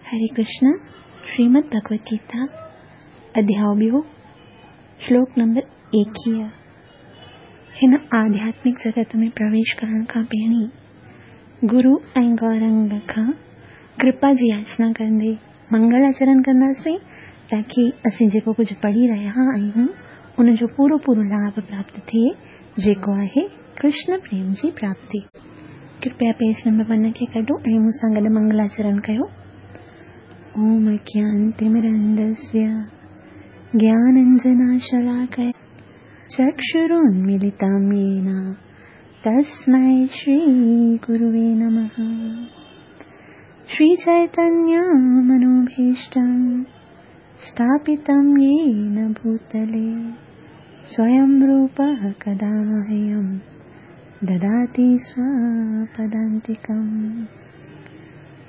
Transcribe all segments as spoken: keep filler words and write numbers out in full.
हरे कृष्ण। श्रीमद् भगवद गीता अध्याय ॿियो, श्लोक नंबर एकवीह। हिन आध्यात्मिक जगत में प्रवेश करण खां पहिरीं गुरु ऐं गौरंग खां कृपा जी याचना कंदे मंगलाचरण कंदासीं, ताकी असीं जेको कुझु पढ़ी रहिया आहियूं उनजो पूरो पूरो लाभ प्राप्त थिए, जेको आहे कृष्ण प्रेम जी प्राप्ति। कृपया पेज नंबर वन खे कढो ऐं मूंसां गॾु मंगलाचरण कयो। ओम अज्ञानतिमिरन्धस्य ज्ञानाञ्जनशलाकया चक्षुरुन्मीलितं येन तस्मै श्रीगुरुवे नमः। श्रीचैतन्यमनोभीष्टं स्थापितं येन भूतले स्वयं रूपः कदा मह्यं ददाति स्वपदान्तिकम्।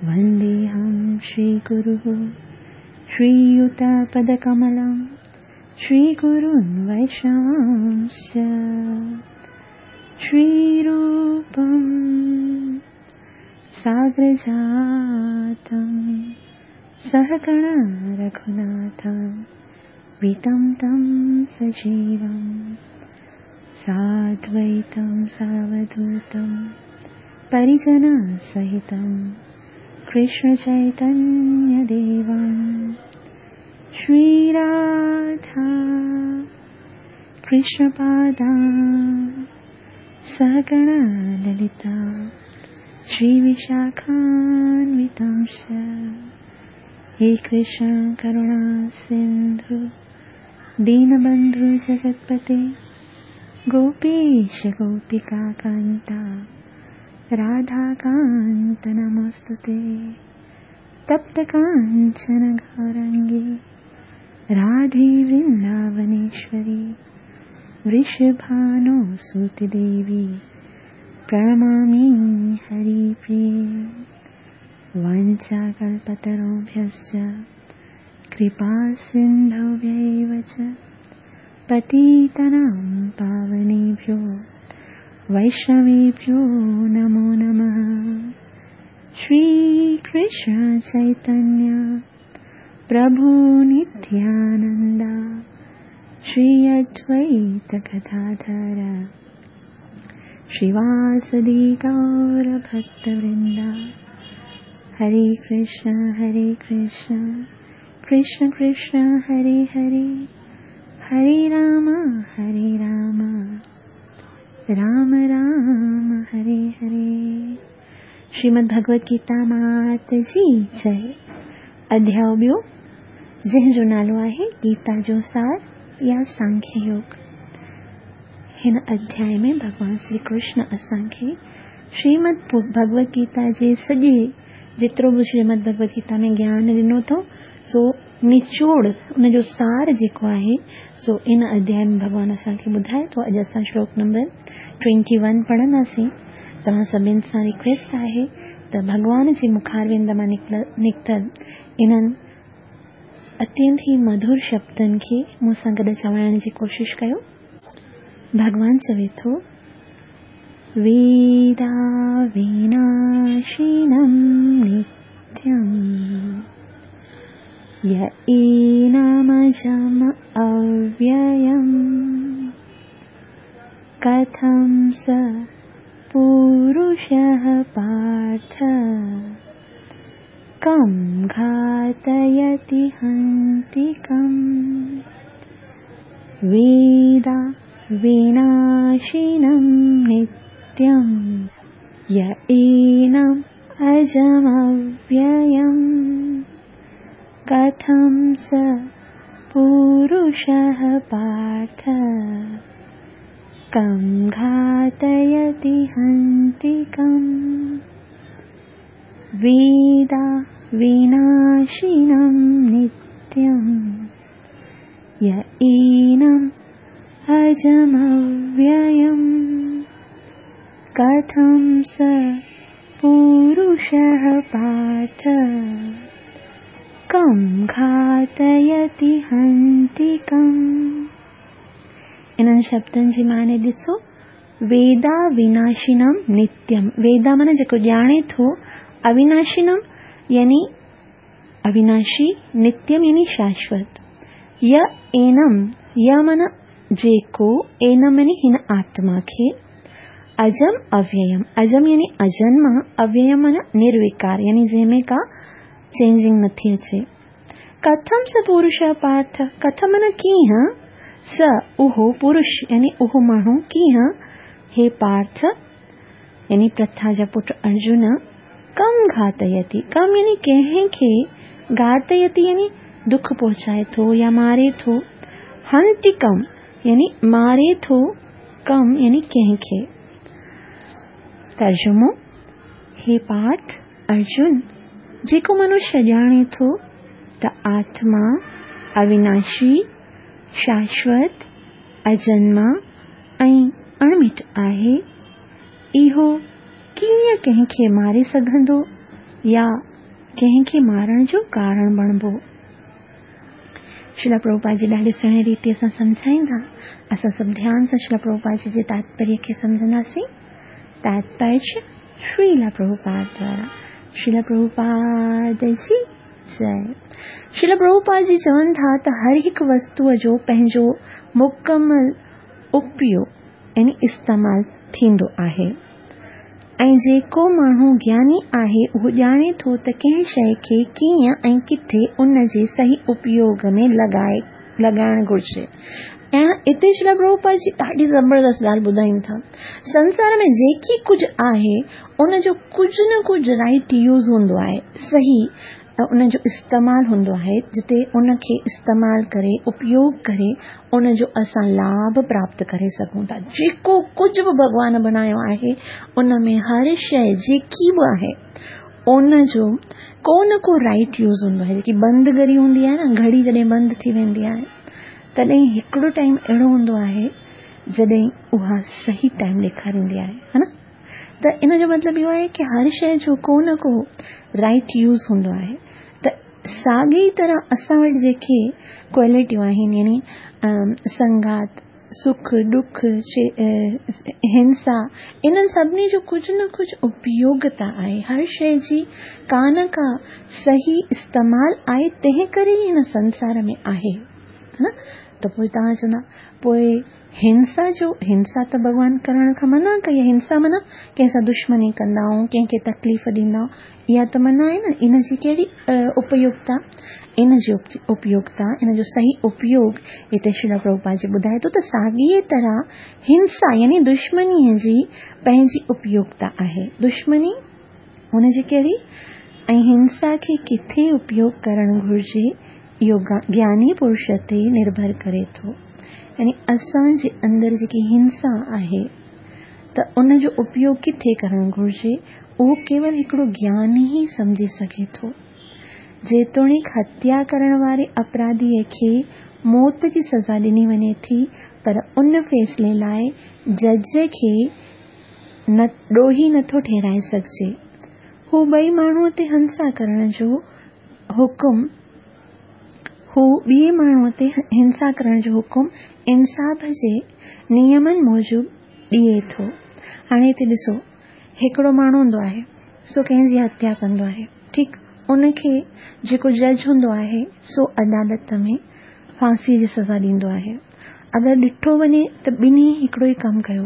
वन्देऽहं श्रीगुरुः श्रीयुतपदकमलं श्रीगुरून् वैष्णवांश्च। श्रीरूपं साग्रजातं सहगण रघुनाथं वितं तं सजीवं साद्वैतं सावधूतं परिजनसहितं कृष्ण चैतन्यदेवं। श्रीराधा कृष्णपादा सहगण ललिता श्रीविशाखान्वितांश्च। हे कृष्ण करुणा सिन्धु दीनबन्धु जगत्पते गोपीश गोपिका कान्ता राधाकान्त नमोऽस्तुते। तप्त काञ्चन गौरङ्गी राधे वृन्दावनेश्वरी वृषभानुसुते देवी प्रणमामि हरिप्रिये। वाञ्छाकल्पतरुभ्यश्च कृपा सिन्धुभ्यैव च पतितानां पावनेभ्यो वैष्णवेभ्यो नमो नमः। श्री कृष्ण चैतन्य प्रभु नित्यानंद श्री अद्वैत गदाधर श्रीवासदि गौर भक्तवृंद। हरे कृष्ण हरे कृष्ण कृष्ण कृष्ण हरे हरे, हरे राम हरे राम राम राम हरे हरे। श्रीमद् भगवद गीता मात जी जय। अध्याय ॿियो, जंहिंजो नालो आहे गीता जो सार या सांख्य योग। हिन अध्याय में भॻवान श्री कृष्ण असांखे श्रीमद् भगवद गीता जे सॼे जेतिरो बि श्रीमद् भगवद गीता में ज्ञान ॾिनो अथऊं, सो निचोड़ उनजो सार जेको आहे सो इन अध्याय में भॻवान असांखे ॿुधाए थो। अॼु असां श्लोक नंबर ट्वेंटी वन पढ़ंदासीं। तव्हां सभिनि सां रिक्वेस्ट आहे त भॻवान जे मुखारविंद मां निकितल इन्हनि अत्यंत ई मधुर शब्दनि खे मूंसां गॾु चवाइण जी कोशिश कयो। भॻवान चवे थो, वेदा विनाशिनं नित्यं य एनमजम् अव्ययम् कथं स पुरुषः पार्थ कं घातयति हन्ति कम्। वेदा विनाशिनं नित्यं य एनम् अजमव्ययम् कथं स पुरुषः पार्थ कं घातयति हन्ति कम्। वेदा विनाशिनं नित्यं य एनम् अजमव्ययम् कथं स पुरुषः पार्थ कं घातयति हन्ति कम्। इन्हनि शब्दनि जी माने ॾिसो, वेदा विनाशिनम नित्यम। वेदा माना जेको ॼाणे थो, अविनाशिनम यानी अविनाशी, नित्यम यानी शाश्वत। य एनम, य माना जेको, एनम यानी हिन आत्मा खे, अजम अव्ययम, अजम यानी अजन्मा, अव्ययम माना निर्विकार यानी जंहिंमें का चेंजिंग नथी अचे। कथम स पुरुष पार्थ, कथम माना कीअं, स उहो पुरुष यानी उहो माण्हू कीअं, हे पार्थ यानी प्रथा जा पुट अर्जुन, कम घातयति, कम यानी कंहिंखे, घातयति यानी दुख पहुचाए थो या मारे थो, हंति कम यानी मारे थो, कम यानी कंहिंखे। तर्जुमो, हे पार्थ अर्जुन, जेको मनुष्य ॼाणे थो त आत्मा अविनाशी, शाश्वत, अजन्मा ऐं अणमिट आहे, इहो कीअं कंहिंखे मारे सघंदो या कंहिंखे मारण जो कारण बणिबो। श्रील प्रभुपाद जी ॾाढे सुहिणे रीति सां सम्झाईंदा। असां सभु ध्यान सां श्रील प्रभुपाद जी जे तात्पर्य खे सम्झंदासीं। तात्पर्य श्रील प्रभुपाद द्वारा। श्रील प्रभुपाद जी जय। श्रील प्रभुपाद जी चवनि था त हर हिकु वस्तूअ जो पंहिंजो मुकमल उपयोग यानी इस्तेमाल थींदो आहे ऐं जेको माण्हू ज्ञानी आहे उहो ॼाणे थो त कंहिं शइ खे कीअं ऐं किथे उन जे सही उपयोग में लॻाए लॻाइणु घुरिजे। ऐं हिते श्रील प्रभुपाद जी ॾाढी ज़बरदस्त ॻाल्हि ॿुधाइनि था। संसार में जेकी कुझु आहे उन जो कुझु न कुझु राइट यूज़ हूंदो आहे, सही उन जो इस्तेमाल हूंदो आहे, जिते उनखे इस्तेमाल करे उपयोग करे उन जो असां लाभ प्राप्त करे सघूं था। जेको कुझु बि भॻवान बणायो आहे उन में हर शइ जेकी बि आहे उन जो को न को राइट यूज़ हूंदो आहे। जेकी बंदि घड़ी हूंदी आहे न, घड़ी जॾहिं बंदि थी वेंदी आहे तॾहिं हिकिड़ो टाइम अहिड़ो हूंदो आहे जॾहिं उहा सही टाइम ॾेखारींदी आहे, हा न। त इन जो मतिलबु इहो आहे की हर शइ जो को न को राइट यूज़ हूंदो आहे। त साॻी तरह असां वटि जेके क्वालिटियूं आहिनि यानी संघात, सुख, दुख, हिंसा, इन्हनि सभिनी जो कुझु न कुझु उपयोगिता आहे। हर शइ जी का न का सही इस्तेमाल आहे, तंहिं करे ई हिन संसार में आहे, न। त पोइ तव्हां चवंदा पोइ हिंसा जो, हिंसा त भॻवान करण खां मना कई आहे। हिंसा माना कंहिंसां दुश्मनी कंदा आहियूं, कंहिंखे तकलीफ़ ॾींदा आहियूं, इहा त मना आहे न। इन जी कहिड़ी उपयोगिता, इन जी उपयोगिता, इन जो सही उपयोग हिते श्रील प्रभुपाद जी ॿुधाए थो त साॻीअ तरह हिंसा यानी दुश्मनीअ जी पंहिंजी उपयोगिता आहे। दुश्मनी हुनजी कहिड़ी ऐं हिंसा खे किथे उपयोग करणु घुरिजे इहो ज्ञानी पुरुष ते निर्भर करे थो। यानी असांजे अंदरि जेकी हिंसा आहे त उन जो उपयोग किथे करणु घुरिजे उहो केवल हिकिड़ो ज्ञान ई सम्झी सघे थो। जेतोणीकि हत्या करण वारे अपराधीअ खे मौत जी सज़ा ॾिनी वञे थी, पर उन फ़ैसिले लाइ जज खे न ॾोही नथो ठहिराए सघिजे। हू ॿई माण्हूअ ते हिंसा करण जो हुकुम हू ॿिए माण्हूअ ते हिंसा करण जो हुकुम इंसाफ़ जे नियमनि मूजिबि ॾिए थो। हाणे हिते ॾिसो, हिकिड़ो माण्हू हूंदो आहे सो कंहिंजी हत्या कंदो आहे, ठीकु, उनखे जेको जज हूंदो आहे सो अदालत में फांसीअ जी सज़ा ॾींदो आहे। अगरि ॾिठो वञे त ॿिन्ही हिकिड़ो ई कमु कयो,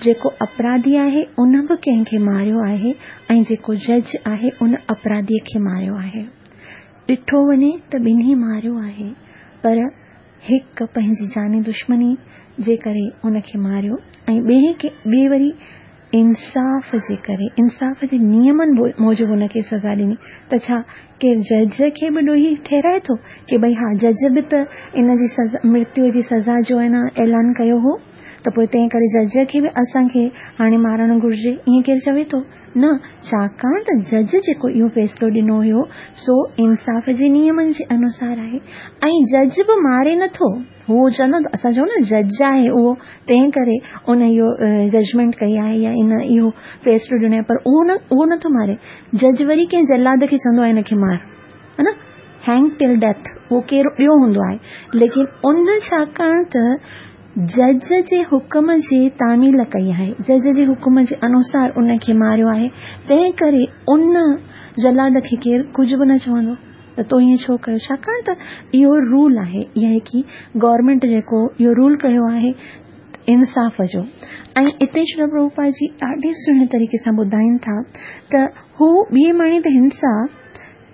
जेको अपराधी आहे उन बि कंहिंखे मारियो आहे ऐं जेको जज आहे उन अपराधीअ खे मारियो आहे। ॾिठो वञे त ॿिन्ही मारियो आहे, पर हिकु पंहिंजी जानी दुश्मनी जे करे उनखे मारियो ऐं ॿिए खे ॿिए वरी इंसाफ़ जे करे, इंसाफ़ जे नियमनि मूजिबि हुनखे सज़ा ॾिनी। त छा केरु जज खे बि ॾोही ठहिराए थो की भई हा जज बि त इन जी सज़ा, मृत्यूअ जी सज़ा जो आहे न ऐलान कयो हो, त पोइ तंहिं करे जज खे बि असांखे हाणे मारणु घुरिजे, ईअं केरु चवे थो? न, छाकाणि त जज जेको इहो फ़ैसिलो ॾिनो हुयो सो इंसाफ़ जे नियमनि जे अनुसार आहे ऐं जज बि मारे नथो। हू चवंदो असां चऊं न जज आहे उहो, तंहिं करे उन इहो जजमेंट कई आहे या इन इहो फ़ैसिलो ॾिनो आहे, पर उहो न उहो नथो मारे। जज वरी कंहिं जलाद खे चवंदो आहे हिनखे मार, हा न, हैंग टिल डेथ, उहो केरु ॿियो हूंदो आहे। लेकिन उन छाकाणि त जज जे हुकुम जी तामील कई आहे, जज जे हुकुम जे अनुसार उनखे मारियो आहे, तंहिं करे उन जलाद खे केरु कुझु बि न चवंदो। ته تو ائين ڇو ڪيو؟ ڇاڪاڻ ته اهو رول آهي، اها هڪ گورنمينٽ جيڪو اهو رول ڪيو آهي انصاف جو. ۽ اتي شريل پرڀوپاد جي ڏاڍي سهڻي طريقي سان ٻڌائين ٿا ته هو ٻئي ماڻهو تي هنسا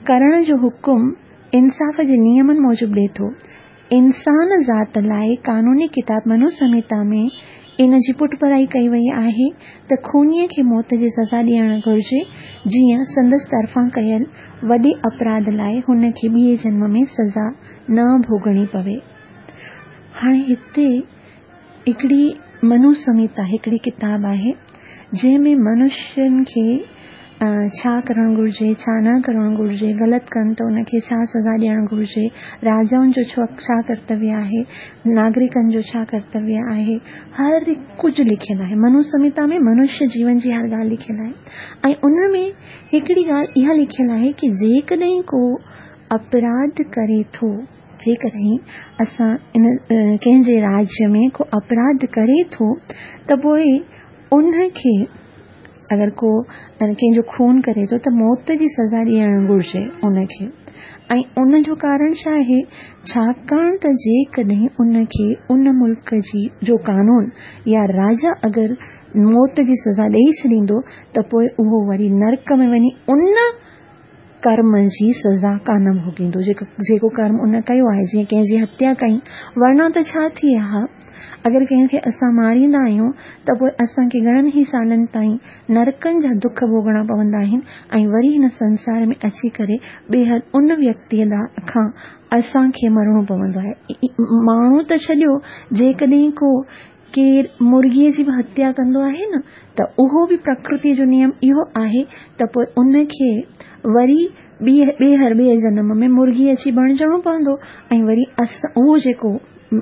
ڪرڻ جو حڪم انصاف جي نيمن موجب ڏئي ٿو. انسان ذات لاءِ قانوني ڪتاب منو سنهتا ۾ ان جي پٺڀرائي ڪئي وئي آهي ته خونيءَ کي موت جي سزا ڏيڻ گهرجي، جيئن سندس طرفان ڪيل وڏي اپراڌ لاءِ هن کي ٻئي جنم ۾ سزا نه ڀوڳڻي پوي. هاڻي هتي هڪڙي منو سنهتا هڪڙي ڪتاب آهي جنهن ۾ منشين کي ڇا ڪرڻ گهرجي، ڇا نه ڪرڻ گهرجي، غلط ڪن ته ان کي ڇا سزا ڏيڻ گهرجي، راجائن جو ڇا ڪرتويه آهي، ناگرڪن جو ڇا ڪرتويه آهي، هر ڪجهه لکيل آهي. منو سنهتا ۾ منشيه جيون جي هر ڳالهه لکيل آهي. ۽ ان ۾ هڪڙي ڳالهه اها لکيل آهي ڪه جيڪڏهن ڪو اپراڌ ڪري ٿو، جيڪڏهن اسان ان ڪنهن جي راجيه ۾ ڪو اپراڌ ڪري ٿو ته پوءِ ان کي اگر ڪو ڪنهن جو خون ڪري ٿو ته موت جي سزا ڏيڻ گهرجي ان کي. ۽ ان جو ڪارڻ ڇا آهي؟ ڇاڪاڻ ته جيڪڏهن ان کي ان ملڪ جي جو قانون يا راجا اگر موت جي سزا ڏيئي ڇڏيندو ته پوءِ اهو وري نرڪ ۾ وڃي ان ڪرم جي سزا ڪانه ڀوڳيندو جيڪو جيڪو ڪرم ان ڪيو آهي، جيئن ڪنهن جي هتيا ڪئي. ورنه ته ڇا ٿئي ها، اگر ڪنهن کي اسان ماريندا آهيون ته پوءِ اسان کي گهڻن ئي سالن تائين نرڪن جا دک ڀوڳڻا پوندا آهن ۽ وري هن سنسار ۾ اچي ڪري ٻيهر ان ويڪتيءَ کان اسان کي مرڻو پوندو آهي. ماڻهو ته ڇڏيو، جيڪڏهن ڪو ڪير مرغيءَ جي به هتيا ڪندو آهي نه ته اهو به پرڪرتيءَ جو نيم اهو آهي ته پوءِ ان کي وري ٻيهر ٻئي جنم ۾ مرغي اچي بڻجڻو پوندو ۽ وري اسان اهو جيڪو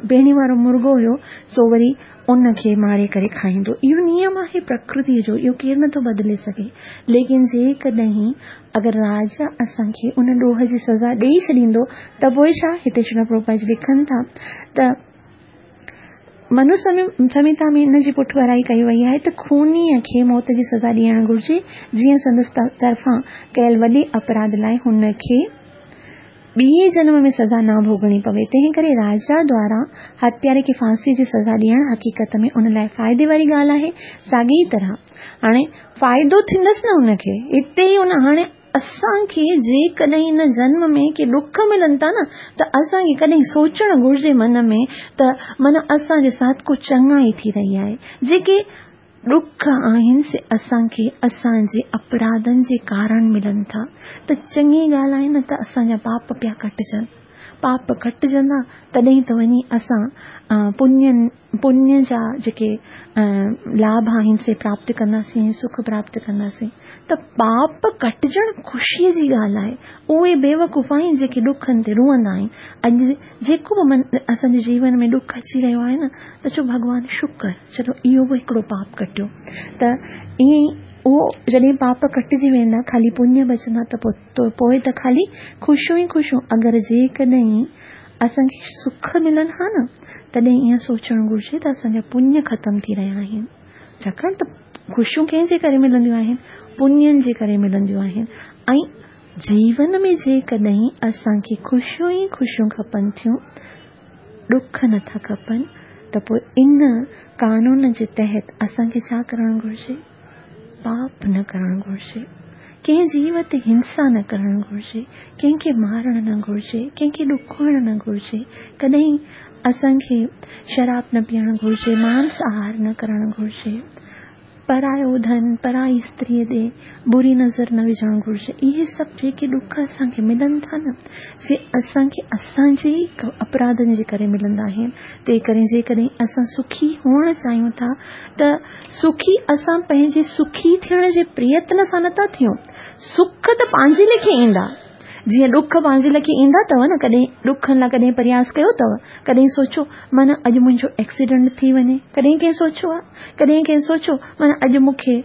پهرين وارو مرغو هيو سو وري ان کي ماري ڪري کائيندو. اهو نيم آهي پرڪرتيءَ جو، اهو ڪير نٿو بدلي سگهي. ليڪن جيڪڏهن اگر راجا اسان کي ان ڏوهه جي سزا ڏيئي ڇڏيندو ته پوءِ ڇا؟ هتي شريل پرڀوپاد جي لکن ٿا ته منو سنهتا ۾ ان جي پٺڀرائي ڪئي وئي آهي ته خونيءَ کي موت جي سزا ڏيڻ گهرجي، جيئن سندس طرفان ڪيل وڏي اپراڌ لاءِ هن کي ٻئي جنم ۾ سزا نه ڀوڳڻي پوي. تنهن ڪري راجا دوارا هتياري کي ڦاسيءَ جي سزا ڏيڻ حقيقت ۾ ان لاءِ فائدي واري ڳالهه آهي. ساڳي ئي طرح هاڻي فائدو ٿيندس نه ان کي هتي ئي ان هاڻي اسان کي جيڪڏهن هن جنم ۾ ڪي ڏک ملن ٿا نه ته اسان کي ڪڏهن سوچڻ گهرجي من ۾ ته من اسان جي ساٿ ڪو چڱائي ٿي رهي آهي. جيڪي ڏک آهن سي اسان کي اسان جي اپراڌن جي ڪارڻ ملن ٿا. ته چڱي ڳالهه آهي نه ته اسان جا پاپ پيا ڪٽجن، پاپ ڪٽجندا تڏهن ته وڃي اسان پڃ پڃ جا جيڪي لاڀ آهن سي پراپت ڪنداسين، سک پراپت ڪنداسين. ته پاپ ڪٽجڻ خوشيءَ جي ڳالهه آهي. اهي بيوقوف آهن جيڪي ڏکن تي روئندا آهن. اڄ جيڪو به من اسان جي جيون ۾ ڏک اچي رهيو آهي نه ته چئو ڀڳوان شڪر، چلو اهو به هڪڙو پاپ ڪٽيو. ته ائين ئي اهو جڏهن پاپ ڪٽجي ويندا، خالي پڃ بچندا ته پوءِ پوءِ ته خالي خوشيون ئي خوشيون. اگر جيڪڏهن اسان کي سک ملن ها نه تڏهن ائين سوچڻ گهرجي ته اسان جا پڃ ختم ٿي رهيا آهن. ڇاڪاڻ ته خوشيون ڪنهن جي ڪري ملنديون آهن؟ پڃن جي ڪري ملنديون آهن. ۽ جيون ۾ جيڪڏهن اسان کي خوشيون ئي خوشيون کپن ٿيون، ڏک نٿا کپن، ته پوءِ ان قانون جي تحت اسان کي ڇا ڪرڻ گهرجي؟ پاپ نه ڪرڻ گهرجي، ڪنهن جيو تي هنسا نه ڪرڻ گهرجي، ڪنهن کي مارڻ نه گهرجي، ڪنهن کي ڏکوئڻ نه گهرجي، ڪڏهن اسان کي شراب نه پيئڻ گهرجي، مانس آهار نه ڪرڻ گهرجي، پرايو ڌن پرائي استريءَ ڏي بري نظر نه وجهڻ گهرجي. اهي سڀ جيڪي ڏک اسان کي ملن ٿا نه سي اسان کي اسان جي ئي اپراڌن جي ڪري ملندا آهن. تنهن ڪري جيڪڏهن اسان سکي هئڻ چاهيون ٿا ته سکي اسان پنهنجي سکي ٿيڻ جي پريتن سان نٿا ٿيون. سک ته پنهنجي ليکي ايندا، جيئن ڏک پنهنجي ليکي ايندا اٿو نه. ڪڏهن ڏکن لاءِ ڪڏهن پرياس ڪيو اٿو؟ ڪڏهن سوچيو معنيٰ اڄ منهنجو ايڪسيڊنٽ ٿي وڃي؟ ڪڏهن ڪنهن سوچيو آهي؟ ڪڏهن ڪنهن سوچيو معنيٰ اڄ مون کي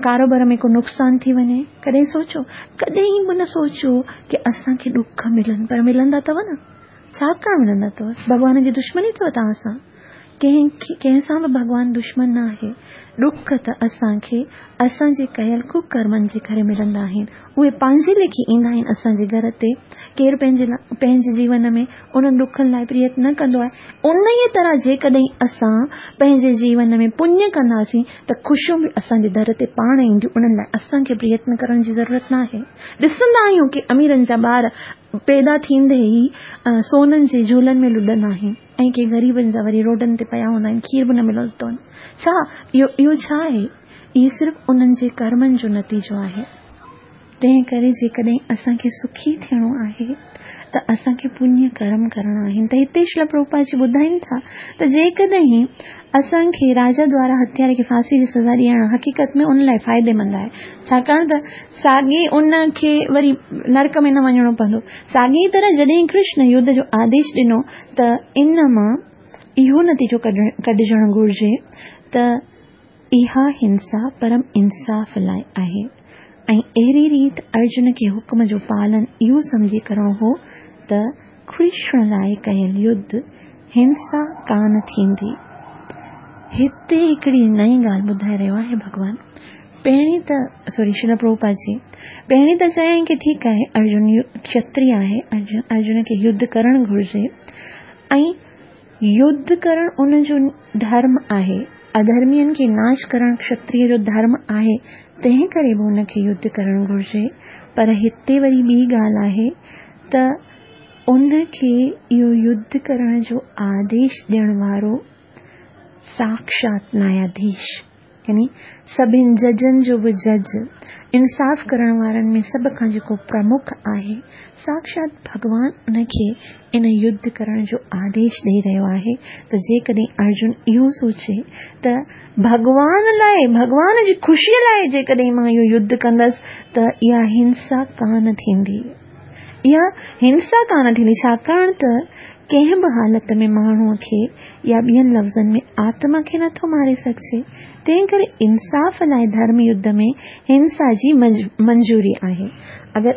ڪاروبار ۾ ڪو نقصان ٿي وڃي؟ ڪڏهن سوچيو؟ ڪڏهن به نه سوچيو ڪه اسان کي ڏک ملن. پر ملندا اٿو نه. ڇا ڪرڻ ملندا اٿو؟ ڀڳوان جي دشمني اٿو توهان سان؟ ڪنهن ڪنهن سان به ڀڳوان دشمن نه آهي. ڏک ته اسان کي اسان جي ڪيل ڪڪرمن جي ڪري ملندا آهن. اهي پنهنجي ليکي ايندا آهن اسان جي گهر تي. ڪير پنهنجي پنهنجي جيون ۾ انهن ڏکن لاءِ پريتن نه ڪندو آهي. انهيءَ طرح جيڪڏهن اسان پنهنجي جيون ۾ پڃ ڪنداسين ته خوشيون به اسان جي در تي پاڻ اينديون. انهن لاءِ اسان کي پريتن ڪرڻ جي ضرورت نه آهي. ڏسندا آهيون ڪه اميرن جا ٻار پيدا ٿيندي ئي سونن جي جهولن ۾ لڏندا آهن ۽ ڪي غريبن جا وري روڊن تي پيا هوندا آهن، کير به نه ملندو اٿن. ڇا اهو اهو ڇا آهي؟ اهو صرف انهن جي ڪرمن جو نتيجو آهي. تنهن ڪري جيڪڏهن اسان کي سکي ٿيڻو آهي ته اسان کي پڃ ڪرم ڪرڻا آهن. ته هتي شريل پرڀوپاد جي ٻڌائين ٿا ته جيڪڏهن اسان کي راجا دوارا هتياري کي ڦاسي جي سزا ڏيڻ حقيقت ۾ ان لاءِ فائديمند آهي، ڇاڪاڻ ته ساڳي ان کي وري نرڪ ۾ نه وڃڻو پوندو. ساڳي طرح جڏهن ڪرشن يڌ جو آديش ڏنو ته ان مان اهو نتيجو ڪڍجڻ گهرجي ته اها هنسا پرم انصاف لاءِ آهي. ۽ اهڙي ريت ارجن کي حڪم جو پالن اهو سمجهي ڪرڻو هو ته ڪرشن لاءِ ڪيل يڌ هنسا ڪانه ٿيندي. هتي هڪڙي نئين ڳالهه ٻڌائي رهيو آهي ڀڳوان. پهرين ته سوري شريل پرڀوپاد جي پهرين ته چيائين ڪه ٺيڪ آهي، ارجن کتريه آهي، ارجن ارجن کي يڌ ڪرڻ گهرجي ۽ يڌ ڪرڻ ان جو ڌرم آهي، اڌرمين کي ناش ڪرڻ کتريه جو ڌرم آهي، تنهن ڪري به ان کي يڌ ڪرڻ گهرجي. پر هتي وري ٻي ڳالهه آهي ته ان کي اهو يڌ ڪرڻ جو آديش ڏيڻ وارو ساکشات نياياڌيش، يعني سڀني ججن جو به جج، انصاف ڪرڻ وارن ۾ سڀ کان جيڪو پرمک آهي، ساکشات ڀڳوان ان کي ان يڌ ڪرڻ جو آديش ڏيئي رهيو آهي. ته جيڪڏهن ارجن اهو سوچي ته ڀڳوان لاءِ، ڀڳوان جي خوشيءَ لاءِ جيڪڏهن مان اهو يڌ ڪندس ته اها هنسا ڪانه ٿيندي، اها هنسا ڪانه ٿيندي، ڇاڪاڻ ته ڪنهن به حالت ۾ ماڻهوءَ کي يا ٻين لفظن ۾ آتما کي نٿو ماري سگهجي. تنهن ڪري انصاف لاءِ ڌرم يڌ ۾ هنسا جي منظوري آهي. اگر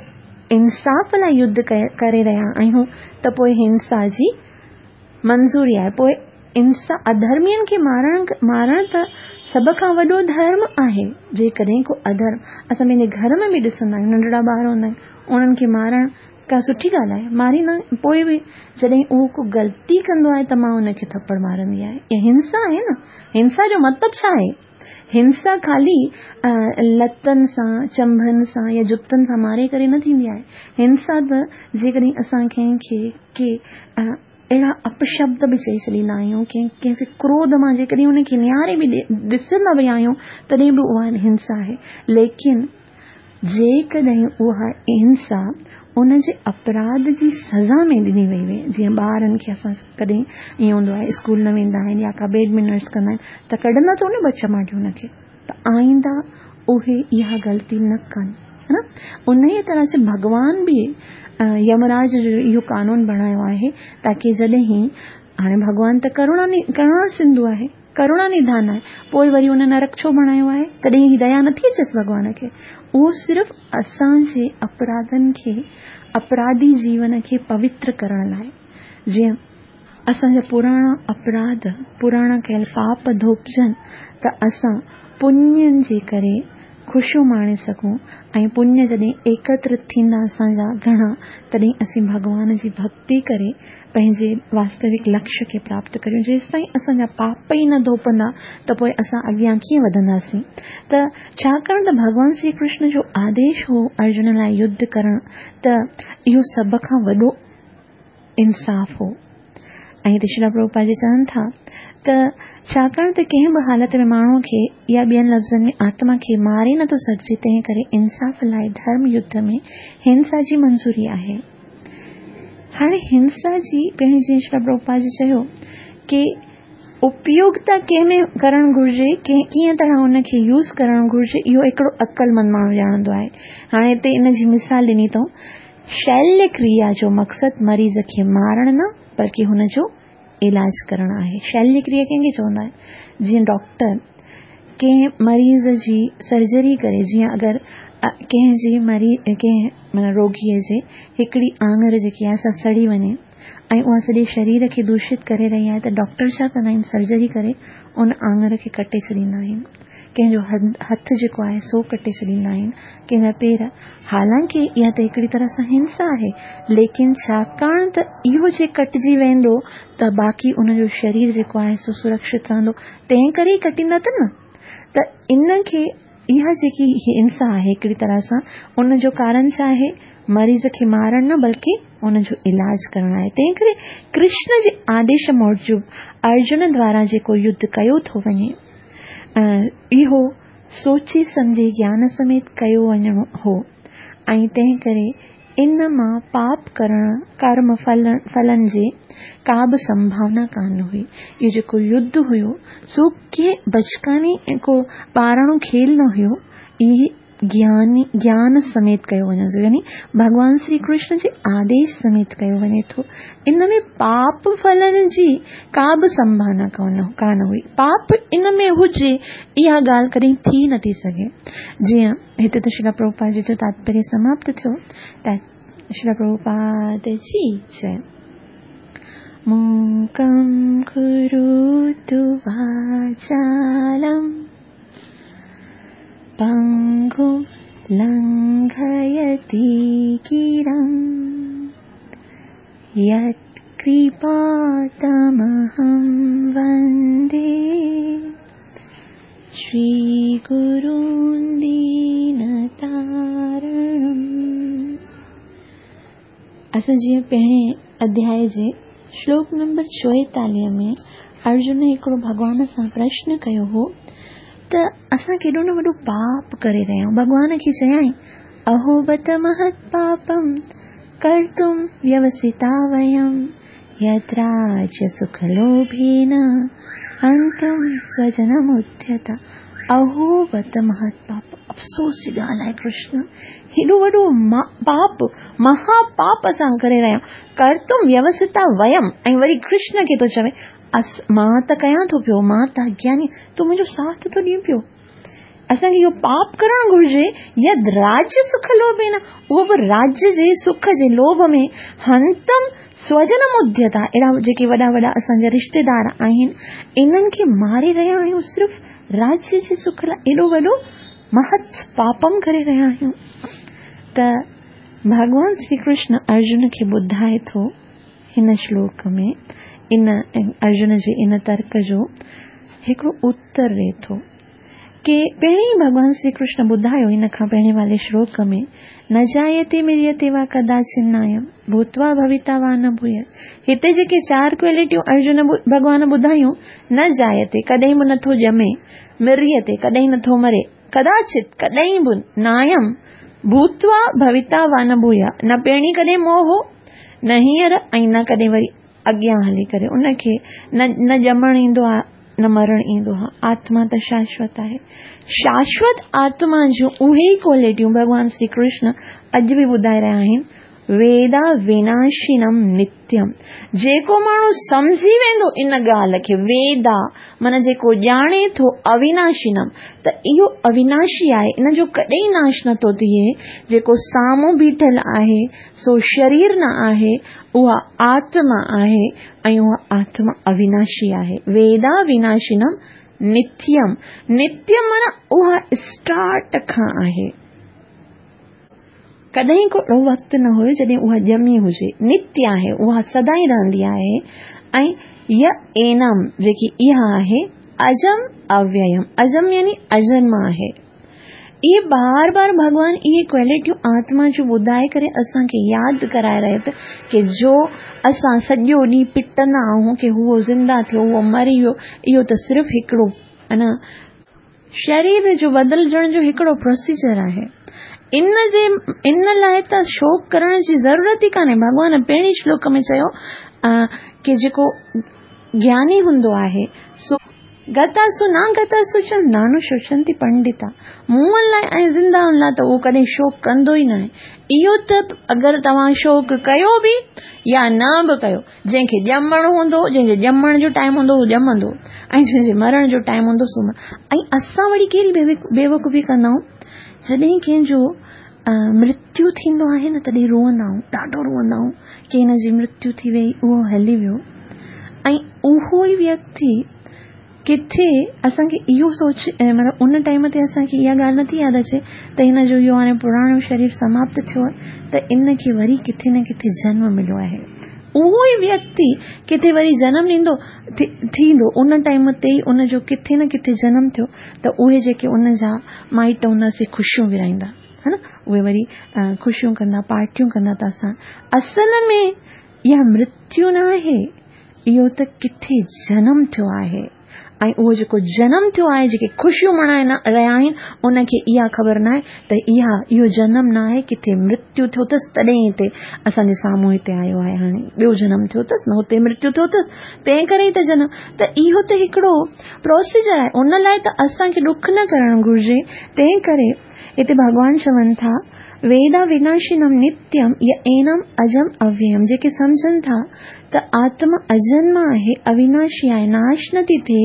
انصاف لاءِ يڌ ڪري رهيا آهيون ته پوءِ هنسا جي منظوري آهي. پوءِ انسا اڌرمين کي مارڻ مارڻ ته سڀ کان وڏو ڌرم آهي. جيڪڏهن ڪو اڌرم اسان پنهنجي گهر ۾ به ڏسندا آهيون، ننڍڙا ٻار هوندا آهن، انهن کي مارڻ ڪا سٺي ڳالهه آهي؟ ماريندا آهن. پوءِ به جڏهن اهو ڪو غلطي ڪندو آهي ته مان ان کي ٿپڙ مارندي آهيان. اها هنسا آهي نه. هنسا جو مطلب ڇا آهي؟ هنسا خالي لتن سان، چنبن سان يا جتن سان ماري ڪري نه ٿيندي آهي. هنسا ته جيڪڏهن اسان ڪنهن کي ڪي اهڙا اپشبد به چئي ڇڏيندا آهيون، ڪنهن ڪنهن سي ڪروڌ مان جيڪڏهن ان کي نهاري به ڏسندا به آهيون تڏهن به اها هنسا آهي. ليڪن جيڪڏهن اها هنسا ان جي اپراڌ جي سزا ۾ ڏني وئي هئي، جيئن ٻارن کي اسان ڪڏهن ائين هوندو آهي اسڪول نه ويندا آهن يا ڪا بيڊ مينرس ڪندا آهن ته ڪڍندا اٿئون نه ٻه چماٽيون ان کي، ته آئيندا اهي اها غلطي نه ڪن، ها نه. ان ئي طرح سي ڀڳوان به يمراج جو اهو قانون بڻايو آهي تاڪه جڏهن هاڻي ڀڳوان ته ڪروڻا ڪروڻا سنڌو آهي، ڪروڻا نڌان آهي، پوءِ وري ان نرڪ ڇو بڻايو آهي؟ تڏهن ديا نٿي اچيس ڀڳوان کي. اهو صرف اسان جي اپراڌن کي، اپراڌي جيون کي پوتر ڪرڻ لاءِ، جيئن اسان جا پراڻا اپراڌ، پراڻا ڪيل پاپ ڌوپجن ته اسان پڃن جي ڪري خوشيون ماڻي سگهون. ۽ پڃ جڏهن ايڪترت ٿيندا اسان جا گهڻا، تڏهن اسين ڀڳوان جي ڀڪتي ڪري پنهنجي واستوڪ لڪشيه کي پراپت ڪريون. جيستائين اسان جا پاپ ئي نه ڌوپندا ته پوءِ اسان اڳيان ڪيئن وڌنداسين؟ ته ڇاڪاڻ ته ڀڳوان شري ڪرشن جو آديش هو ارجن لاءِ يڌ ڪرڻ، ته اهو سڀ کان وڏو انصاف هو. ۽ هتي شريل پرڀوپاد جي چون ٿا ته ڇاڪاڻ ته ڪنهن به حالت ۾ ماڻهوءَ کي يا ٻين لفظن ۾ آتما کي ماري نٿو سگهجي، تنهن ڪري انصاف لاءِ ڌرم يڌ ۾ هنسا جي منظوري آهي. هاڻي هنسا جي پهرين جيئن شريل پرڀوپاد جي چيو ڪه اپيوگتا ڪنهن ۾ ڪرڻ گهرجي، ڪيئن طرح ان کي يوز ڪرڻ گهرجي، اهو هڪڙو عقلمند ماڻهو ڄاڻندو آهي. هاڻي هتي ان جي مثال ڏني اٿئون، شليه ڪريا جو مقصد مريض کي مارڻ نه بلڪه هن جو علاج ڪرڻ آهي. شليه ڪريا ڪنهن کي چوندا آهن؟ جيئن ڊاڪٽر ڪنهن مريض جي سرجري ڪري، جيئن اگر ڪنهن جي مريض ڪنهن معنيٰ روڳيءَ جي هڪڙي آڱر جيڪي آهي سا سڙي وڃي ऐं उहा सॼे शरीर खे दूषित करे रही आहे त डॉक्टर छा कंदा आहिनि? सर्जरी करे उन आङुर खे कटे छॾींदा आहिनि, कंहिंजो हथु जेको आहे सो कटे छॾींदा आहिनि, कंहिंजा पेर। हालांकि इहा त हिकिड़ी तरह सां हिंसा आहे, लेकिन छाकाणि त इहो जे कटिजी वेंदो त बाक़ी उनजो शरीर जेको आहे सो सुरक्षित रहंदो, तंहिं करे ई कटींदा त न। त इन खे इहा जेकी हिंसा आहे हिकिड़ी तरह सां, उनजो कारण छा आहे? मरीज़ खे मारणु न बल्कि उनजो इलाज करणु आहे। तंहिं करे कृष्ण जे आदेश मूजिबि अर्जुन द्वारा जेको युद्ध कयो थो वञे, इहो सोची सम्झे ज्ञान समेत कयो वञिणो हो ऐं तंहिं करे इन मां पाप करण, कर्म फल फलनि जी का बि संभावना कान हुई। इहो जेको युद्ध हुयो सो कंहिं बचकानी को ॿाराणो खेल न हुयो, इहे ज्ञानी ज्ञान समेत कयो वञे थो, यानी भॻवान श्री कृष्ण जे आदेश समेत कयो वञे थो। इन में पाप फलनि जी का बि संभावना कान कान हुई। पाप इन में हुजे इहा ॻाल्हि कॾहिं थी नथी सघे। जीअं हिते त श्रील प्रभुपाद जी जो तात्पर्य समाप्त थियो। त श्रील प्रभुपाद जी जय। मूकं करोतु वाचालं पङ्गुं लङ्घयति गिरिं यत्कृपातमहं वन्दे श्रीगुरुं दीनतारणम्। असां जीअं पहिरें अध्याय जे श्लोक नंबर चोएतालीह में अर्जुन हिकिड़ो भॻवान सां प्रश्न कयो हो त असां केॾो न वॾो पाप करे रहिया आहियूं। भॻवान खे चयाईं, अहो बत महत् पापम कर्तुं व्यवसिता वयं यद्राज्य सुखलोभेन हन्तुं स्वजनमुद्यता। अहो बत महत् पाप, अफ़सोस जी ॻाल्हि आहे कृष्ण, हेॾो वॾो पाप, महापाप असां करे रहिया आहियूं। कर्तुं व्यवसिता वयं, ऐं वरी कृष्ण खे थो चवे अस मां त कयां थो पियो, मां त अज्ञानी, तूं मुंहिंजो साथ थो ॾियें पियो। असांखे इहो पाप करणु घुरिजे। यद राज्य सुख लोभेन, उहो बि राज्य जे सुख जे लोभ में हंतम स्वजन मुद्यता, अहिड़ा जेके वॾा वॾा असांजा रिश्तेदार आहिनि इन्हनि खे मारे रहिया आहियूं सिर्फ़ु राज्य जे सुख लाइ, एॾो वॾो महत् पापम करे रहिया आहियूं। त भॻवान श्री कृष्ण अर्जुन खे ॿुधाए थो हिन श्लोक में, इन अर्जुन जे इन तर्क जो हिकिड़ो उत्तर ॾिए थो की पहिरीं भॻवान श्री कृष्ण ॿुधायो इन खां पहिरें वारे श्लोक में, न जायते मिरियते वा कदाचिन्नायं भूत्वा भविता वा न भूय। हिते जेके चारि क्वालिटियूं अर्जुन भॻवान ॿुधायूं, न जायते कॾहिं बि नथो ॼमे, मिरियते कॾहिं नथो मरे, कदाचित कॾहिं बि, नायं भूत्वा भविता वा न भूय, न पहिरीं कॾहिं मोह हो, न हींअर ऐं न कॾहिं वरी अॻियां हली करे उनखे न न ॼमणु ईंदो आहे न मरणु ईंदो आहे। आत्मा त शाश्वत आहे। शाश्वत आत्मा जूं उहे ई क्वालिटियूं भॻवान श्री कृष्ण अॼु बि ॿुधाए रहिया आहिनि। वेदा विनाशिनम नित्यम, जेको माण्हू सम्झी वेंदो इन ॻाल्हि खे, वेदा माना जेको ॼाणे थो अविनाशिनम, त इहो अविनाशी आहे, इन जो कॾहिं नाश नथो थिए। जेको साम्हूं बीठल आहे सो शरीर न आहे, उहा आत्मा आहे ऐं उहा आत्मा अविनाशी आहे। वेदा विनाशिनम नित्यम, नित्यम माना उहा स्टार्ट खां आहे, कॾहिं को अहिड़ो वक़्तु न हुयो जॾहिं उहा ॼमी हुजे, नित्य आहे, उहा सदाई रहंदी आहे। ऐं य एनम जेकी इहा आहे अजम अव्ययम, अजम यानी अजन्म आहे। इहे बार बार भॻवान इहे क्वालिटियूं आत्मा जूं ॿुधाए करे असांखे यादि कराए रहियो त की जो असां सॼो ॾींहुं पिटंदा आहियूं की उहो ज़िंदा थियो, उहो मरी वियो, इहो त सिर्फ़ु हिकिड़ो अना शरीर जो बदिलजण जो हिकिड़ो प्रोसीजर आहे। इन जे इन लाइ त शोक करण जी ज़रूरत ई कान्हे। भॻवान पहिरीं श्लोक में चयो की जेको ज्ञानी हूंदो आहे सो गतासु न गतासु च नानुशोचन्ति पंडिता, मुअनि लाइ ऐं ज़िंदाउनि लाइ त उहो कॾहिं शोक कंदो ई न आहे। इहो त अगरि तव्हां शोक कयो बि या न बि कयो, जंहिंखे ॼमणु हूंदो, जंहिंजे ॼमण जो टाइम हूंदो उहो ॼमंदो ऐं जंहिंजे मरण जो टाइम हूंदो सो। ऐं असां वरी कहिड़ी बेवकूफ़ी कंदा आहियूं, जॾहिं कंहिंजो मृत्यु थींदो आहे न तॾहिं रोअंदा आहियूं, ॾाढो रोअंदा आहियूं ڪه هن جي مرتيو ٿي وئي، اهو هلي ويو. ۽ اهو ئي ويڪتي ڪٿي اسان کي اهو سوچ، مطلب ان ٽائيم تي اسان کي اها ڳالهه نٿي ياد اچي ته هن جو اهو هاڻي پراڻو شرير سماپت ٿيو آهي ته ان کي وري ڪٿي نه ڪٿي جنم مليو آهي. اهو ئي ويڪتي ڪٿي وري جنم ڏيندو ٿيندو، ان ٽائيم تي ئي ان جو ڪٿي نه ڪٿي جنم ٿيو ته اهي جيڪي ان جا مائٽ هوندا سي خوشيون ورهائيندا، ها نه، اهي وري خوشيون ڪندا، پارٽيون ڪندا. ته اسان اصل ۾ اها مرتيو نه آهي، اهو ته ڪٿي جنم ٿيو آهي. ۽ اهو جيڪو جنم ٿيو آهي، جيڪي خوشيون ملهائي رهيا آهن، ان کي اها خبر نه آهي ته اها اهو جنم نه آهي، ڪٿي مرتيو ٿيو اٿس تڏهن هتي اسان جي سامهون هتي آيو آهي. هاڻي ٻيو جنم ٿيو اٿس نه، هتي مرتيو ٿيو اٿس، تنهن ڪري ئي ته جنم. ته اهو ته هڪڙو پروسيجر آهي، ان لاءِ ته اسان کي ڏک نه ڪرڻ گهرجي. تنهن ڪري هتي ڀڳوان چون ٿا، ويدا وناشنم نتيم ي اينم اجم اويم. جيڪي سمجهن ٿا ته آتما اجنما آهي، اويناشي آهي، ناش نٿي ٿئي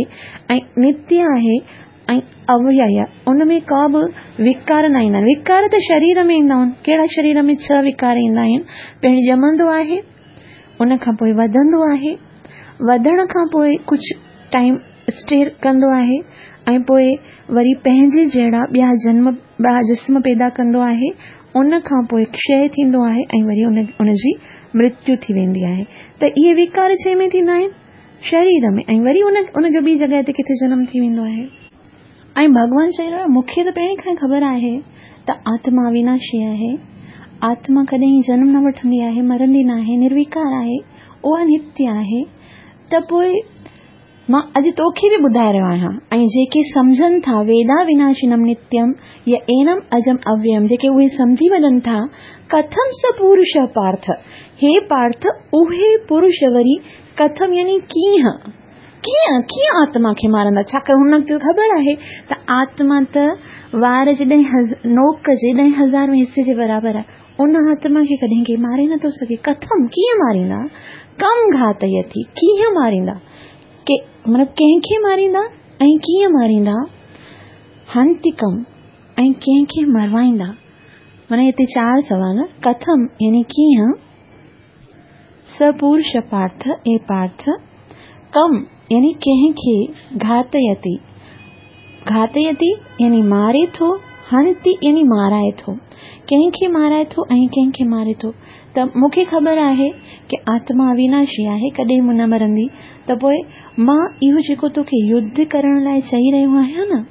۽ نتيه آهي ۽ اويي، ان ۾ ڪا به وڪار نه ايندا آهن. وڪار ته شرير ۾ ايندا آهن. ڪهڙا؟ شرير ۾ ڇهه وڪار ايندا آهن. پهرين ڄمندو آهي، ان کان پوءِ وڌندو آهي، وڌڻ کان پوءِ ڪجهه ٽائيم اسٽي ڪندو آهي ۽ پوءِ وري پنهنجي جهڙا ٻيا جنم، ٻيا جسم پيدا ڪندو آهي، ان کان پوءِ ڪشي ٿيندو آهي ۽ وري ان ان جي مرتيو ٿي ويندي آهي. ته اهي وڪار ڇنهن ۾ ٿيندا آهن؟ شرير ۾. ۽ وري ان ان جو ٻي جڳهه تي ڪٿي جنم ٿي ويندو آهي. ۽ ڀڳوان چئي رهيو، مون کي ته پهرين کان خبر آهي ته آتما اويناشي آهي، آتما ڪڏهن جنم نه وٺندي آهي، مرندي نه آهي، نروڪار آهي، اها نتيه آهي. ته پوءِ مان اڄ توکي به ٻڌائي رهيو آهيان. ۽ جيڪي سمجهن ٿا ويدا وناشنم نتيم ي اينم اجم اويم، جيڪي اهي سمجهي وڃن ٿا، ڪٿم س پرش پارٿ، هي پارٿ، اهي پرش وري ڪٿم يعني ڪيئن ڪيئن ڪيئن آتما کي مارندا؟ ڇاڪاڻ هن کي خبر آهي ته آتما ته وار جي ڏهه نوڪ جي ڏهه هزار حصي جي برابر آهي، ان آتما کي ڪڏهن ڪنهن ماري نٿو سگهي. ڪٿم ڪيئن ماريندا؟ ڪم گهاتيتي، ڪيئن ماريندا؟ ڪي مطلب ڪنهن کي ماريندا ۽ ڪيئن ماريندا؟ هنتي ڪم، ۽ ڪنهن کي مروائيندا؟ معنيٰ هتي چار سوال. ڪٿم يعني ڪيئن، س پرش پارٿ اي پارٿ، ڪم يعني ڪنهن کي، گهاتيتي، گهاتيتي يعني ماري ٿو، هنتي يعني مارائي ٿو، ڪنهن کي مارائي ٿو ۽ ڪنهن کي ماري ٿو؟ ته مون کي خبر آهي ڪه آتما اويناشي آهي، ڪڏهن به نه مرندي، ته پوءِ مان اهو جيڪو توکي يڌ ڪرڻ لاءِ چئي رهيو آهيان نه،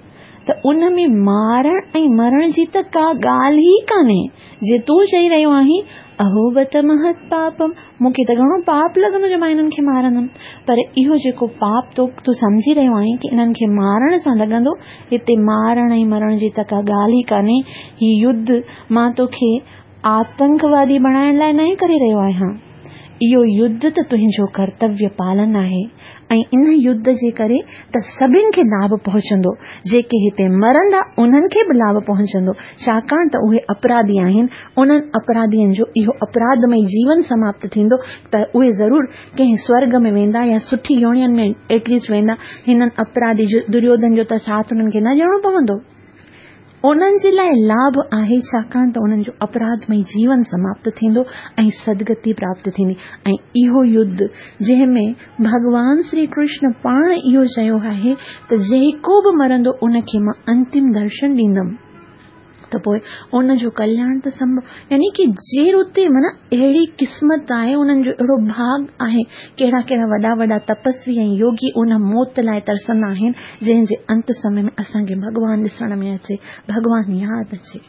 ته ان ۾ مارڻ ۽ مرڻ جي ته ڪا ڳالهه ئي ڪانهي. جي تون چئي رهيو آهين اهو بت مهت پاپم، مون کي ته گهڻو پاپ لڳندو جو مان هنن کي مارندم. پر اهو جيڪو پاپ تو تون سمجهي رهيو آهين ڪه انهن کي مارڻ سان لڳندو، هتي مارڻ ۽ مرڻ جي ته ڪا ڳالهه ئي ڪانهي. هي يڌ مان توکي آتنڪوادي بڻائڻ لاءِ نه ڪري رهيو آهيان. اهو يڌ ته تنهنجو ڪرتويه پالن آهي ۽ ان يڌ جي ڪري ته سڀني کي لاڀ پهچندو. جيڪي هتي مرندا انهن کي به لاڀ پهچندو، ڇاڪاڻ ته اهي اپراڌي آهن. انهن اپراڌين جو اهو اپراڌمي جيون سماپت ٿيندو ته اهي ضرور ڪنهن سورگ ۾ ويندا يا سٺي يونين ۾ ايٽليسٽ ويندا. هنن اپراڌي دريوڌن جو ته ساٿ انهن کي نه ڏيڻو پوندو. انهن جي لاءِ لاڀ آهي، ڇاڪاڻ ته انهن جو اپراڌمي جيون سماپت ٿيندو ۽ سدگتي پراپت ٿيندي. ۽ اهو يڌ جنهن ۾ ڀڳوان شري ڪرشن پاڻ اهو چيو آهي ته جيڪو به مرندو ان کي مان انتم درشن ڏيندم، ته پوءِ ان جو ڪلياڻ ته سنڀو، يعني ڪه جير اتي معنيٰ اهڙي قسمت آهي، انهن جو اهڙو ڀاڳ آهي. ڪهڙا ڪهڙا وڏا وڏا تپسوي ۽ يوگي ان موت لاءِ ترسندا آهن جنهن جي انت سمي ۾ اسان کي ڀڳوان ڏسڻ ۾ اچي، ڀڳوان ياد اچي.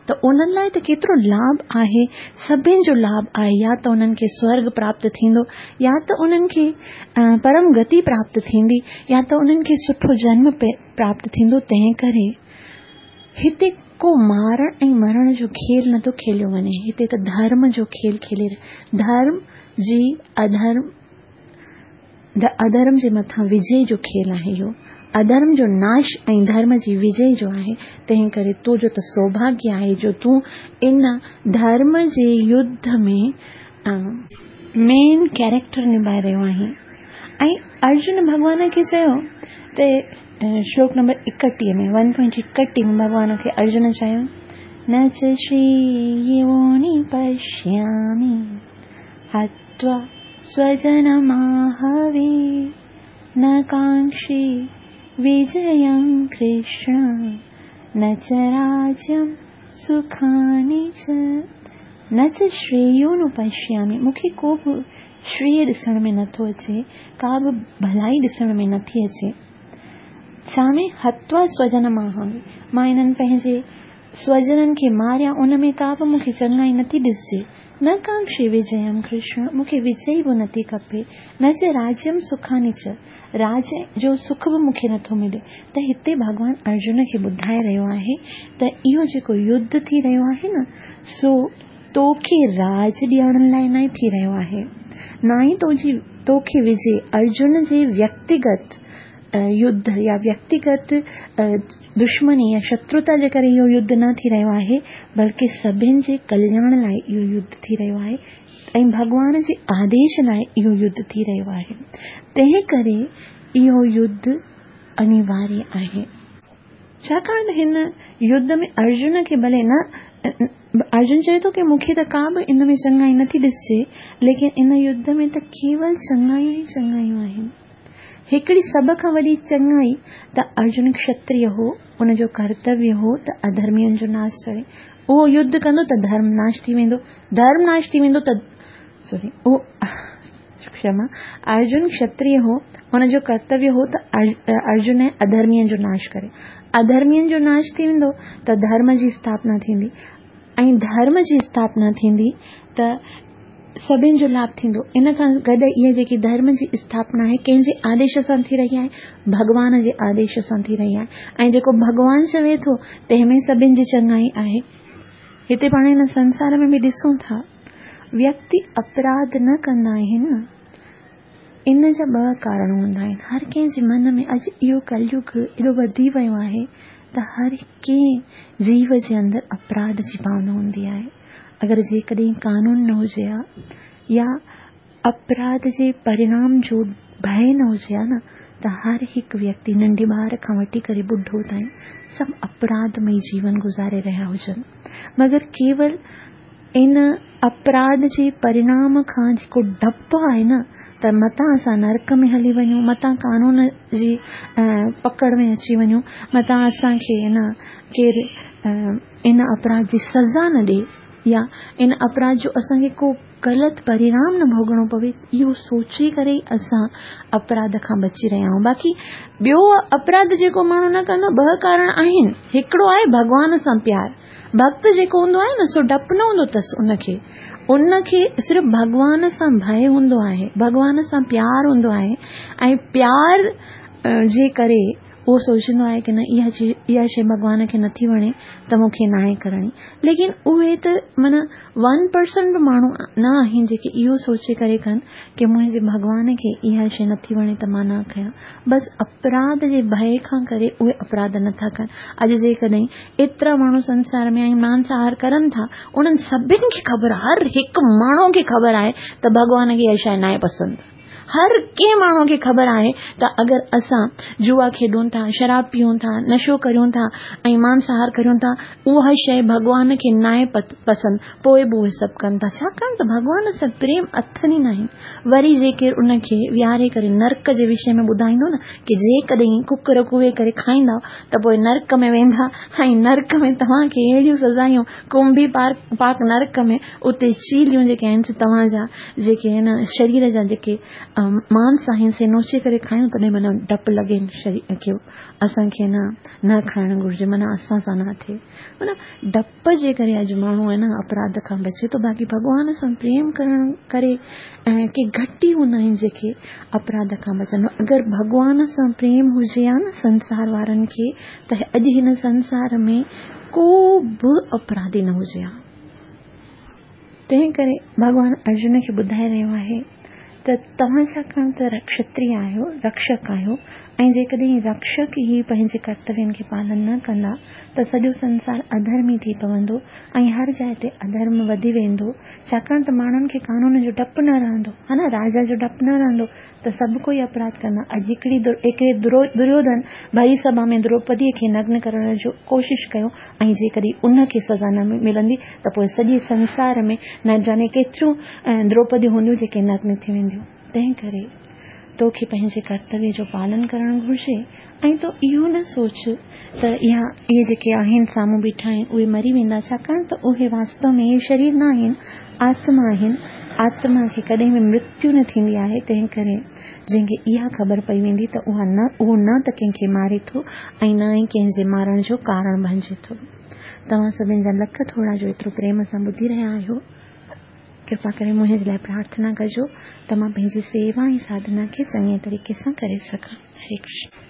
ته انهن لاءِ ته ڪيترو لاڀ آهي، سڀني جو لاڀ آهي. يا ته انهن کي سورگ پراپت ٿيندو، يا ته انهن کي پرم گتي پراپت ٿيندي، يا ته انهن کي سٺو جنم پراپت ٿيندو. تنهن ڪري هتي ڪو مارڻ ۽ مرڻ جو کيل نٿو کيليو وڃي، هتي ته ڌرم جو کيل کيلي، ڌرم جي اڌرم اڌرم جي مٿان وجي جو کيل آهي. اهو اڌرم جو ناش ۽ ڌرم جي وجي جو آهي. تنهن ڪري تو جو ته سوڀاگيه آهي جو تون ان ڌرم جي يڌ ۾ مين ڪيريڪٽر نڀائي رهيو آهين. ۽ ارجن ڀڳوان کي چيو ته شلوڪ نمبر ايڪٽيهه ۾ ون پوائنٽ ايڪٽيهه ۾ ڀڳوان کي ارجن چيو، نه چ شريوني پشيامي हत्वा स्वजनमाहवे। न काङ्क्षे विजयं कृष्ण न च राज्यं सुखानि च न च श्रेयोनुपश्यामि। मूंखे को बि श्रेय ॾिसण में नथो अचे, का बि भलाई ॾिसण में नथी अचे। छा में हत्वा स्वजनमाहवे, मां हिननि पंहिंजे स्वजननि खे मारिया, उन में का बि मूंखे चङाई नथी ॾिसजे। न कांक्षे विजयम कृष्ण, मूंखे विजय बि नथी खपे। न च राज्यम सुखानि च, राज जो सुख बि मूंखे नथो मिले। त हिते भॻवान अर्जुन खे ॿुधाए रहियो आहे त इहो जेको युद्ध थी रहियो आहे न, सो तोखे राज ॾियण लाइ न थी रहियो आहे, न ई तोजी तोखे विजय अर्जुन जे व्यक्तिगत युद्ध या व्यक्तिगत दुश्मनी या शत्रुता जे करे इहो युद्ध न थी रहियो आहे, बल्कि सभिनि जे कल्याण लाइ इहो युद्ध थी रहियो आहे ऐं भॻवान जे आदेश लाइ इहो युद्ध थी रहियो आहे। तंहिं करे इहो युद्ध अनिवार्य आहे। छाकाणि त हिन युद्ध में अर्जुन खे भले न, अर्जुन चए थो की मूंखे त का बि इन में चङाई नथी ॾिसजे, लेकिन इन युद्ध में त केवल चङायूं ई चङायूं आहिनि। हिकिड़ी सभ खां वॾी चङाई त अर्जुन क्षत्रिय हो, उनजो कर्तव्य हो त अधर्मियुनि जो नाश करे। उहो युद्ध कंदो त धर्म नाश थी वेंदो, धर्म नाश थी वेंदो त सॉरी उहो क्षमा, अर्जुन क्षत्रिय हो, हुनजो कर्तव्य हो त अर्जुन अधर्मियुनि जो नाश करे। अधर्मियुनि जो नाश थी वेंदो त धर्म जी स्थापना थींदी ऐं धर्म जी स्थापना थींदी त सभिनि जो लाभ थींदो। इन खां गॾु इहा जेकी धर्म जी स्थापना आहे कंहिंजे आदेश सां थी रही आहे? भॻवान जे आदेश सां थी रही आहे। ऐं जेको भॻवान चवे थो तंहिं में सभिनि जी चङाई आहे। हिते पाण हिन संसार में बि ॾिसूं था, व्यक्ति अपराध न कंदा आहिनि, इन जा ॿ कारण हूंदा आहिनि। हर कंहिंजे मन में अॼु इहो कलयुग एॾो वधी वियो आहे त हर कंहिं जीव जे अंदरि अपराध जी भावना हूंदी आहे। अगरि जेकॾहिं कानून न हुजे हा या अपराध जे परिणाम जो भय न हुजे हा न, त हर हिकु व्यक्ति नंढे ॿार खां वठी करे बुढो ताईं सभु अपराधमय जीवन गुज़ारे रहिया हुजनि। मगर केवल इन अपराध जे परिणाम खां जेको डपु आहे न, त मतां असां नरक में हली वञूं, मतां कानून जी पकड़ में अची वञूं, मतां असांखे न केरु इन अपराध जी सज़ा न ॾिए या इन अपराध जो असांखे को ग़लति परिणाम न भोगणो पवे, इहो सोचे करे ई असां अपराध खां बची रहिया आहियूं। बाक़ी ॿियो अपराध जेको माण्हू न कंदो, ॿ कारण आहिनि। हिकिड़ो आहे भॻवान सां प्यार, भक्त जेको हूंदो आहे न, सो डपु न हूंदो अथसि उनखे, उनखे सिर्फ़ भॻवान सां भय हूंदो आहे, भॻवान सां प्यार हूंदो आहे ऐं प्यार जे करे उहो सोचींदो आहे की न इहा इहा शइ भॻवान खे नथी वणे त मूंखे नाहे करणी। लेकिन उहे त माना वन परसेंट बि माण्हू न आहिनि जेके इहो सोचे करे कनि की मुंहिंजे भॻवान खे इहा शइ नथी वणे त मां न कयां। बसि अपराध जे भय खां करे उहे अपराध नथा कनि। अॼु जेकॾहिं एतिरा माण्हू संसार में आहिनि, मांसाहार करनि था, उन्हनि सभिनि खे ख़बर, हर हिकु माण्हू खे ख़बर आहे त भॻवान खे इहा शइ नाहे पसंदि। हर कंहिं माण्हू खे ख़बर आहे त अगरि असां जुआ खेॾूं था, शराब पीऊं था, नशो करियूं था ऐं मांसाहार करियूं था, उहा शइ भॻवान खे नाहे पसंदि, पोइ बि उहे सभु कनि था। छाकाणि त भॻवान सां प्रेम अथनि ई नाहे। वरी जेकर उनखे विहारे करे नरक जे विषय में ॿुधाईंदो न की जेकॾहिं कुकर कुए करे खाईंदा त पोइ नरक में वेंदा ऐं नरक में तव्हांखे अहिड़ियूं सज़ायूं, कुंभी पाक नरक में उते चीलियूं जेके आहिनि तव्हांजा जेके आहिनि शरीर जा जेके मांस आहिनि से नोचे करे खायूं, तॾहिं माना डपु लॻे शरीर खे, असांखे न न खाइणु घुरिजे, माना असां सां न थिए। माना डप जे करे अॼु माण्हू आहे न अपराध खां बचे थो। बाक़ी भॻवान सां प्रेम करण करे ऐं के घटि ई हूंदा आहिनि जेके अपराध खां बचनि। अगरि भॻवान सां प्रेम हुजे हा न संसार वारनि खे, त अॼु हिन संसार में को बि अपराधी न हुजे हा। तंहिं करे भॻवान अर्जुन खे ॿुधाए रहियो आहे त तव्हां छाकाणि त क्षत्रिय आहियो, रक्षक आहियो ۽ جيڪڏهن رڪشڪ ئي پنهنجي ڪرتوين کي پالن نه ڪندا ته سڄو سنسار اڌرمي ٿي پوندو ۽ هر جاء تي اڌرم وڌي ويندو، ڇاڪاڻ ته ماڻهن کي قانون جو ڊپ نه رهندو، ها نه، راجا جو ڊپ نه رهندو ته سڀ ڪوئي اپراڌ ڪندا. اڄ هڪڙي هڪڙي دريوڌن ڀري سڀا ۾ دروپديء کي نگن ڪرڻ جو ڪوشش ڪيو ۽ جيڪڏهن ان کي سزا نه ملندي ته پوء سڄي سنسار ۾ نه ڄاڻي ڪيتريون دروپديون هونديون جيڪي نگن ٿي وينديون. تنهن ڪري توکي پنهنجي ڪرتويه جو پالن ڪرڻ گهرجي ۽ تون اهو نه سوچ ته اها اهي جيڪي آهن سامهون بيٺا آهن اهي مري ويندا، ڇاڪاڻ ته اهي واستو ۾ شرير نه آهن، آتما آهن. آتما کي ڪڏهن به مرتيو نه ٿيندي آهي. تنهن ڪري جنهن کي اها خبر پئي ويندي ته اها نه اهو نه ته ڪنهن کي ماري ٿو ۽ نه ئي ڪنهن جي مارڻ جو ڪارڻ بڻجي ٿو. توهان سڀني جا لک ٿورا جو ايترو پريم سان ٻڌي رهيا آهيو. ڪرپا ڪري منهنجي لاءِ پرارٿنا ڪجو ته مان پنهنجي سيوا ۽ ساڌنا کي چڱي طريقي سان ڪري سگهان. هري ڪرشن.